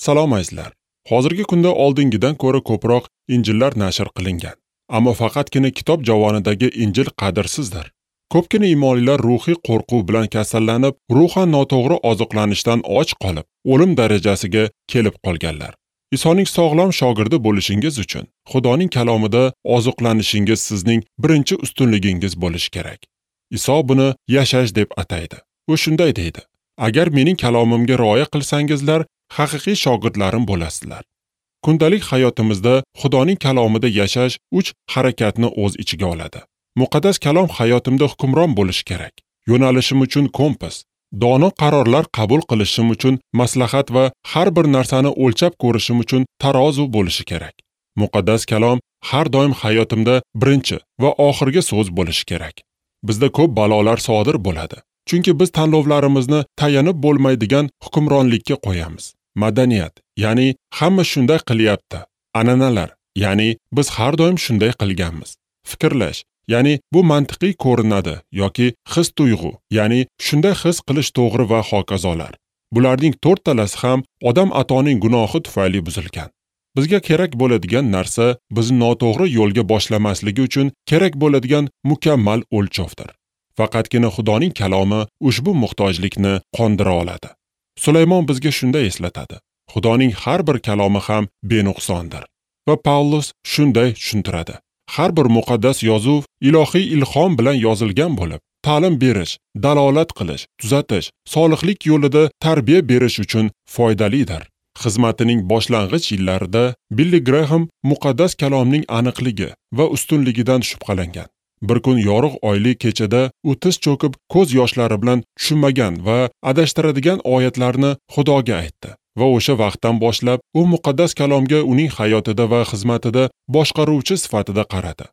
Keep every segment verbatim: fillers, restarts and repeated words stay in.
Salom azizlar. Hozirgi kunda oldingidan ko'ra ko'proq Injillar nashr qilingan. Ammo faqatgina kitob javonidagi Injil qadrsizdir. Ko'pgina imonlilar ruhiy qo'rquv bilan kasallanib, ruhan noto'g'ri oziqlanishdan och qolib, o'lim darajasiga kelib qolganlar. Isoning sog'lom shogirdi bo'lishingiz uchun Xudoning kalomida oziqlanishingiz sizning birinchi ustunligingiz bo'lishi kerak. Iso buni yashash deb ataydi. U shunday deydi: Agar mening kalomimga rioya qilsangizlar, haqiqiy shogirdlarim bo'lasizlar. Kundalik hayotimizda Xudoning kalomida yashash uch harakatni o'z ichiga oladi. Muqaddas kalom hayotimda hukmron bo'lishi kerak. Yo'nalishim uchun kompas, dono qarorlar qabul qilishim uchun maslahat va har bir narsani o'lchab ko'rishim uchun tarozi bo'lishi kerak. Muqaddas kalom har doim hayotimda birinchi va oxirgi so'z bo'lishi kerak. Bizda ko'p balolar sodir bo'ladi. Chunki biz tanlovlarimizni tayanib bo'lmaydigan hukmronlikka qo'yamiz. Madaniyat, ya'ni hamma shunday qilyapti. An'analar, ya'ni biz har doim shunday qilganmiz. Fikrlash, ya'ni bu mantiqiy ko'rinadi yoki his-tuyg'u, ya'ni shunday his qilish to'g'ri va hokazolar. Bularning to'rttalasi ham odam atoning gunohi tufayli buzilgan. Bizga kerak bo'ladigan narsa bizni noto'g'ri yo'lga boshlamasligi uchun kerak bo'ladigan mukammal o'lchovdir. Faqatgina Xudoning kalomi ushbu muhtojlikni qondira oladi. Sulaymon bizga shunday eslatadi: Xudoning har bir kalomi ham benuqsondir. Va Pavlus shunday tushuntiradi: Har bir muqaddas yozuv ilohiy ilhom bilan yozilgan bo'lib, ta'lim berish, dalolat qilish, tuzatish, solihlik yo'lida tarbiya berish uchun foydalidir. Xizmatining boshlang'ich yillarida Billi Graham muqaddas kalomning aniqligi va ustunligidan shubhalangan. Bir kun yorug' oyli kechada u tiz cho'kib, ko'z yoshlari bilan tushunmagan va adashtiradigan oyatlarni Xudoga aytdi. Va o'sha vaqtdan boshlab u muqaddas kalomga uning hayotida va xizmatida boshqaruvchi sifatida qaradi.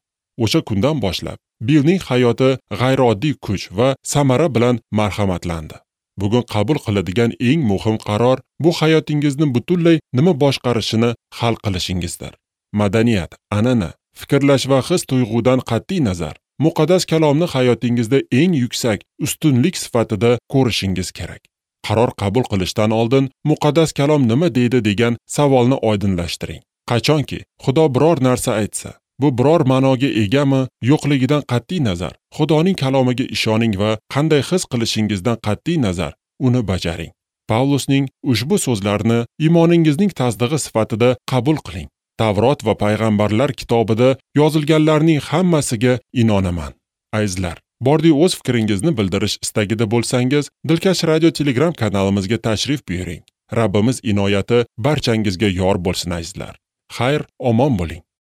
O'sha kundan boshlab Billning hayoti g'ayrioddiy kuch va samara bilan marhamatlandi. Bugun qabul qiladigan eng muhim qaror bu hayotingizni butunlay nima boshqarishini hal qilishingizdir. Madaniyat, an'ana, fikrlash va his-tuyg'udan qat'iy nazar muqaddas kalomni hayotingizda eng yuksak ustunlik sifatida ko'rishingiz kerak. Qaror qabul qilishdan oldin muqaddas kalom nima deydi degan savolni oydinlashtiring. Qachonki Xudo biror narsa aytsa, bu biror ma'noga egami yo'qligidan qat'iy nazar Xudoning kalomiga ishoning va qanday his qilishingizdan qat'iy nazar uni bajaring. Pavlusning ushbu so'zlarini iymoningizning tasdig'i sifatida qabul qiling. Tavrot va payg'ambarlar kitobida yozilganlarning hammasiga inonaman. Azizlar, bordi o'z fikringizni bildirish istagida bo'lsangiz, Dilkash Radio Telegram kanalimizga tashrif buyuring. Rabbimiz inoyati barchangizga yor bo'lsin azizlar. Xayr, omon bo'ling.